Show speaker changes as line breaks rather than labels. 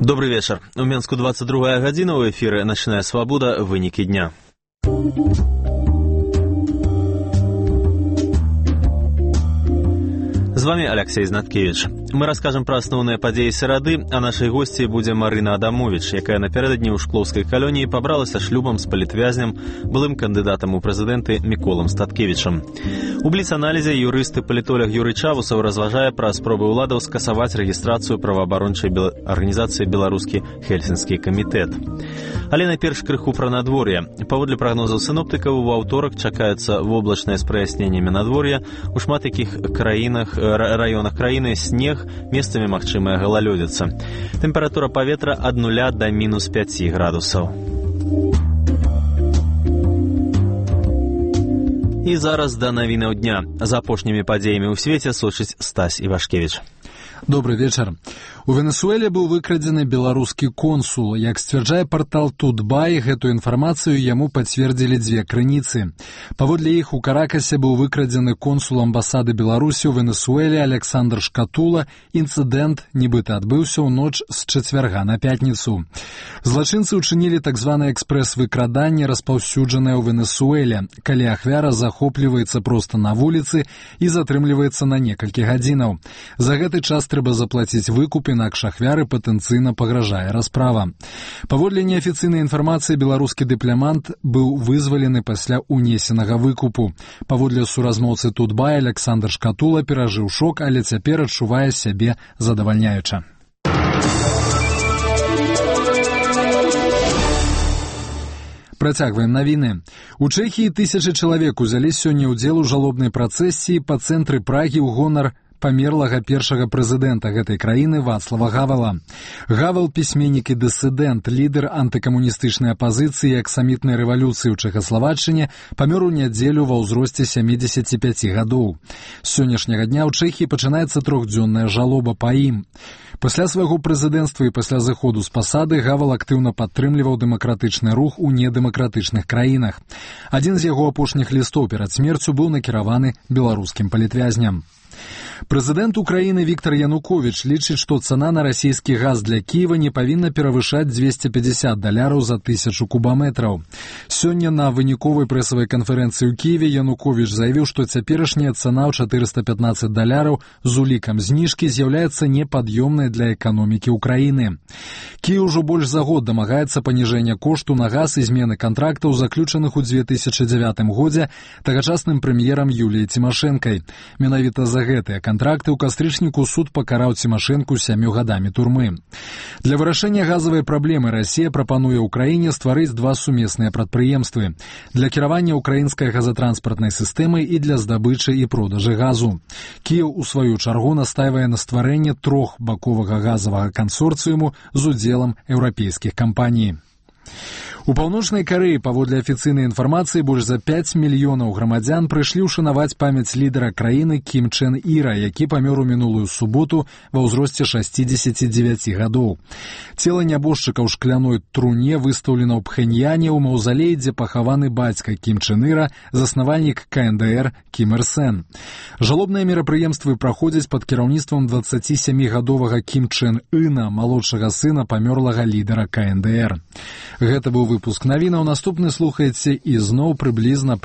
Добрый вечер. У Менску 22 гадзіна, у эфіры «Ночная свобода. Вынікі дня». С вами Алексей Знаткевич. Мы расскажем про основные падзеі серады, а нашай госці будзе Марына Адамович, якая напярэдадні ў шклоўскай калоніі пабралася шлюбам з палітвязням, былым кандыдатам у прэзідэнты Міколам Статкевічам. У бліц-аналізе юрыст-палітолог Юрый Чавусаў разважае пра спробы ўладаў скасаваць рэгістрацыю праваабарончай арганізацыі «Беларускі Хельсінскі камітэт». Але найперш крыху пра надвор'е. Паводле прагнозаў сіноптыкаў, у аўторак чакаецца воблачнае з праясненнямі надвор'я. У шмат якіх раёнах краіны снег, месцамі магчымая галалёдзіца. Тэмпература паветра ад 0 да мінус 5 градусаў. І зараз да навінаў дня. За апошнімі падзеямі ў свеце сочыць Стась Івашкевіч.
Добрый вечер. У Венесуэле быў выкрадзены беларускі консул. Як сцвярджае партал Тутбай, гэтую інфармацыю яму пацвердзілі дзве крыніцы. Паводле іх, у Каракасе быў выкрадзены консул амбасады Беларусі ў Венесуэле Александр Шкатула. Інцыдэнт нібыта адбыўся ў ноч з чацвярга на пятніцу. Злачынцы ўчынілі так званае экспрэс-выкраданне, распаўсюджанае ў Венесуэле, калі ахвяра захопліваецца проста на вуліцы і затрымліваецца на некалькі гадзінаў. За гэты час трэба заплаціць выкуп, інакш ахвяры патэнцыйна пагражае расправа. Паводле неафіцыйнай інфармацыі, беларускі дыпламант быў вызвалены пасля унесенага выкупу. Паводле суразмоўцы Тутбая, Александр Шкатула перажыў шок, але цяпер адчувае сябе задавальняюча. Працягваем навіны. У Чэхіі тысячы чалавек узялі сёння ўдзел у жалобнай працэсіі па цэнтры Прагі ў гонар памерлага першага прэзідэнта гэтай краіны Вацлава Гавала. Гавал – пісьменнік і дысідэнт, лідар антыкамуністычнай апазіцыі і аксамітнай рэвалюцыі ў Чэхаславаччыне, памёр у нядзелю ва ўзросце 75 гадоў. З сённяшняга дня ў Чэхіі пачынаецца трохдзённая жалоба па ім. Пасля свайго прэзідэнцтва і пасля зыходу з пасады Гавал актыўна падтрымліваў дэмакратычны рух у недэмакратычных краінах. Адзін з яго апошніх лістоў перад смерцю быў накіраваны беларускім палітвязням. Прэзідэнт Украіны Віктор Януковіч лічыць, што цана на расійскі газ для Кіева не павінна перавышаць $250 за 1000 кубаметраў. Сёння на выніковай прэсавай канферэнцыі ў Кіеве Януковіч заявіў, што цяперашняя цана ў $415 з улікам зніжкі з'яўляецца непад'ёмнай для эканомікі Украіны. Кіеў ужо больш за год дамагаецца паніжэння кошту на газ і змены кантрактаў, заключаных у 2009 годзе тагачасным прэм'ерам Юліяй Цімашэнкай. Менавіта за гэтыя кантракты ў кастрычніку суд пакараў Цімашэнку 7 гадамі турмы. Для вырашэння газавай праблемы Расія прапануе ўкраіне стварыць два сумесныя прадпрыемствы для кіравання ўкраінскай газатранспартнай сістэмай і для здабычы і продажы газу. Кіеў у сваю чаргу настайвае на стварэнне трохбаковага газавага кансорцыуму з удзелам еўрапейскіх кампаній. У Паўночнай Карэі, паводле афіцыйнай інфармацыі, больш за 5 мільёнаў грамадзян прыйшлі ўшанаваць памяць лідара краіны Кім Чен Іра, які памёр у мінулую суботу ва ўзросце 69 гадоў. Цела нябожчыка ў шкляной труне выстаўлена ў Пхэньяне ў маўзалеі, дзе пахаваны бацька Кім Чен Іра, заснавальнік КНДР Кім Ір Сен. Жалобныя мерапрыемствы праходзяць пад кіраўніцтвам 27-гадовага Кім Чен Іна, малодшага сына памёрлага лідара КНДР. Гэта быў выпуск навінаў. Наступны слухаеце і зноў прыблізна